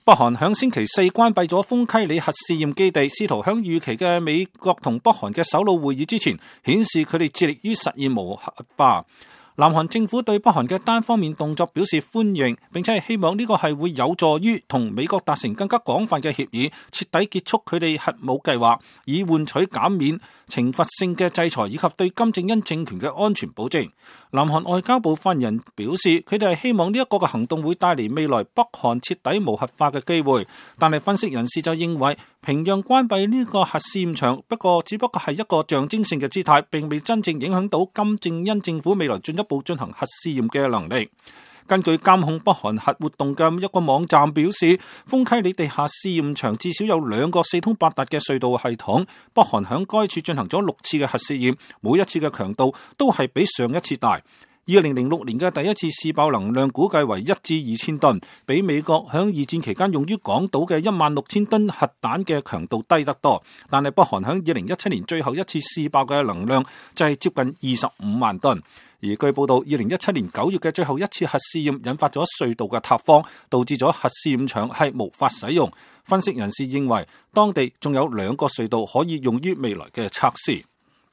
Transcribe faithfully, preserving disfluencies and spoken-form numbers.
北韓響星期四關閉咗豐溪里核試驗基地，試圖響預期嘅美國同北韓嘅首腦會議之前，顯示佢哋致力於實現無核化。南韓政府對北韓嘅單方面動作表示歡迎，並且係希望呢個係會有助於同美國達成更加廣泛嘅協議，徹底結束佢哋核武計劃，以換取減免懲罰性嘅制裁以及對金正恩政權嘅安全保證。南韓外交部發言人表示，佢哋係希望呢一個嘅行動會帶嚟未來北韓徹底無核化嘅機會，但係分析人士就認為，平壤關閉呢個核試驗場，不過只不過係一個象徵性嘅姿態，並未真正影響到金正恩政府未來進一步進行核試驗嘅能力。根據監控北韓核活動嘅一個網站表示，豐溪里地下試驗場至少有兩個四通八達嘅隧道系統，北韓響該處進行咗六次嘅核試驗，每一次嘅強度都係比上一次大。二零零六年嘅第一次試爆能量估計為一至二千噸，比美國響二戰期間用於港島嘅一萬六千噸核彈嘅強度低得多。但係北韓響二零一七年最後一次試爆嘅能量就係接近二十五萬噸。而據報道，二零一七年九月嘅最後一次核試驗引發咗隧道嘅塌方，導致咗核試驗場係無法使用。分析人士認為，當地仲有兩個隧道可以用於未來嘅測試。